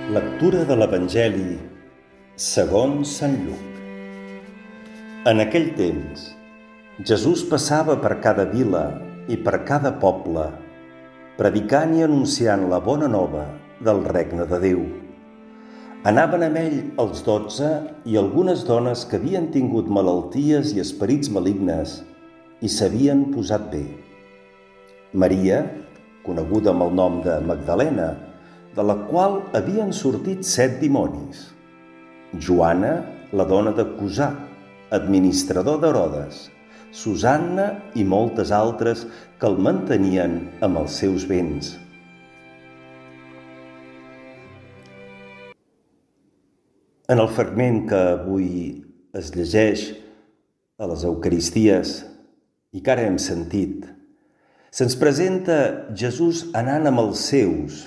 Lectura de l'Evangeli segons Sant Lluc. En aquell temps, Jesús passava per cada vila i per cada poble, predicant i anunciant la bona nova del regne de Déu. Anaven amb ell els 12 i algunes dones que havien tingut malalties i esperits malignes i s'havien posat bé. Maria, coneguda amb el nom de Magdalena, de la qual havien sortit 7 dimonis. Joana, la dona de Cusà, administrador d'Herodes, Susanna i moltes altres que el mantenien amb els seus béns. En el fragment que avui es llegeix a les Eucaristies i que ara hem sentit, se'ns presenta Jesús anant amb els seus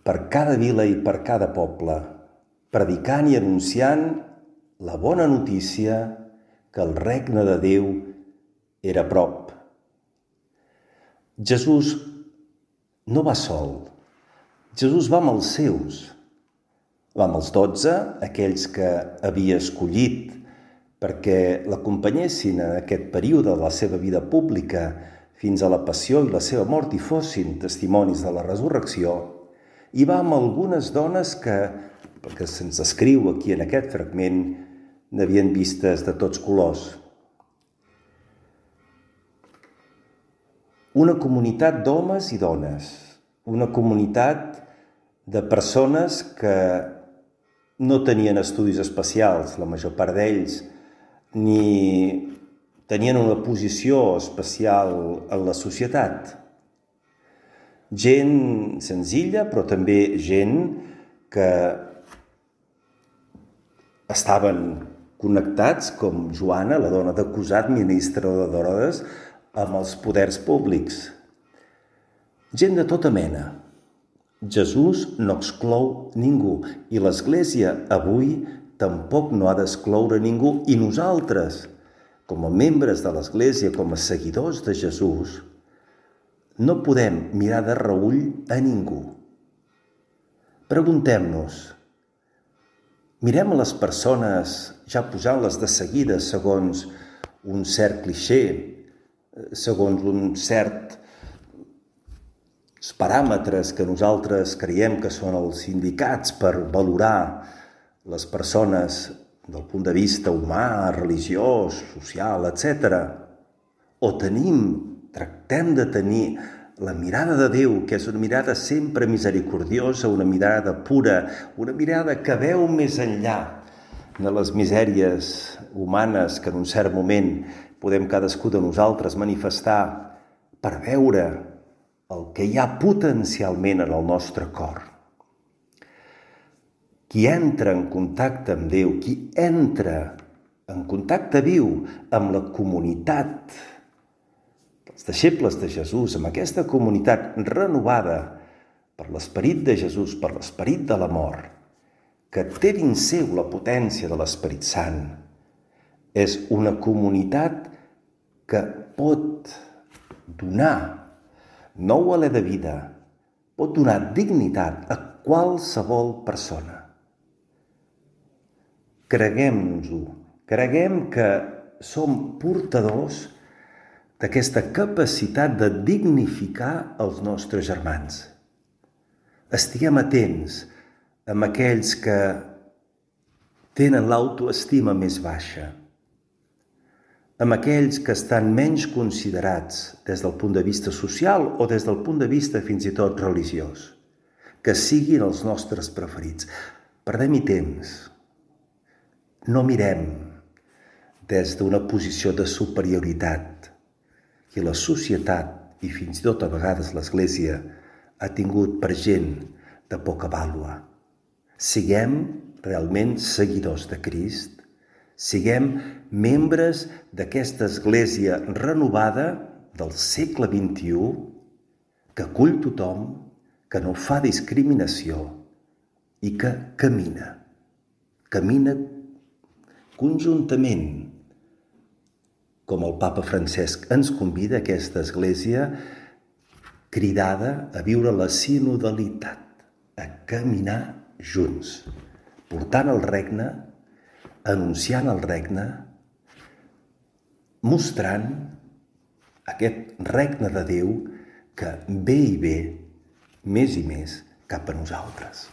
per cada vila i per cada poble, predicant i anunciant la bona notícia que el regne de Déu era a prop. Jesús no va sol, Jesús va amb els seus. Va amb els 12, aquells que havia escollit perquè l'acompanyessin en aquest període de la seva vida pública fins a la passió i la seva mort i fossin testimonis de la resurrecció, i va amb algunes dones que, perquè se'ns escriu aquí en aquest fragment, n'havien vistes de tots colors. Una comunitat d'homes i dones, una comunitat de persones que no tenien estudis especials, la major part d'ells, ni tenien una posició especial en la societat. Gent senzilla, però també gent que estaven connectats, com Joana, la dona de Cusà, administrador d'Herodes, amb els poders públics. Gent de tota mena. Jesús no exclou ningú i l'Església avui tampoc no ha d'excloure ningú, i nosaltres, com a membres de l'Església, com a seguidors de Jesús, no podem mirar de reüll a ningú. Preguntem-nos, mirem a les persones ja posant-les de seguida segons un cert clixé, segons un cert paràmetres que nosaltres creiem que són els indicats per valorar les persones del punt de vista humà, religiós, social, etc. O tractem de tenir la mirada de Déu, que és una mirada sempre misericordiosa, una mirada pura, una mirada que veu més enllà de les misèries humanes que en un cert moment podem cadascú de nosaltres manifestar per veure el que hi ha potencialment en el nostre cor. Qui entra en contacte amb Déu, qui entra en contacte viu amb la comunitat, els deixebles de Jesús, amb aquesta comunitat renovada per l'esperit de Jesús, per l'esperit de l'amor, que té dins seu la potència de l'Esperit Sant, és una comunitat que pot donar nou alè de vida, pot donar dignitat a qualsevol persona. Creguem-nos-ho, creguem que som portadors d'aquesta capacitat de dignificar els nostres germans. Estiguem atents amb aquells que tenen l'autoestima més baixa, amb aquells que estan menys considerats des del punt de vista social o des del punt de vista fins i tot religiós, que siguin els nostres preferits. Perdem-hi temps. No mirem des d'una posició de superioritat que la societat i fins i tot a vegades l'Església ha tingut per gent de poca vàlua. Siguem realment seguidors de Crist, siguem membres d'aquesta Església renovada del segle XXI, que acull tothom, que no fa discriminació i que camina conjuntament, com el papa Francesc ens convida a aquesta Església cridada a viure la sinodalitat, a caminar junts, portant el regne, anunciant el regne, mostrant aquest regne de Déu que ve i ve més i més cap a nosaltres.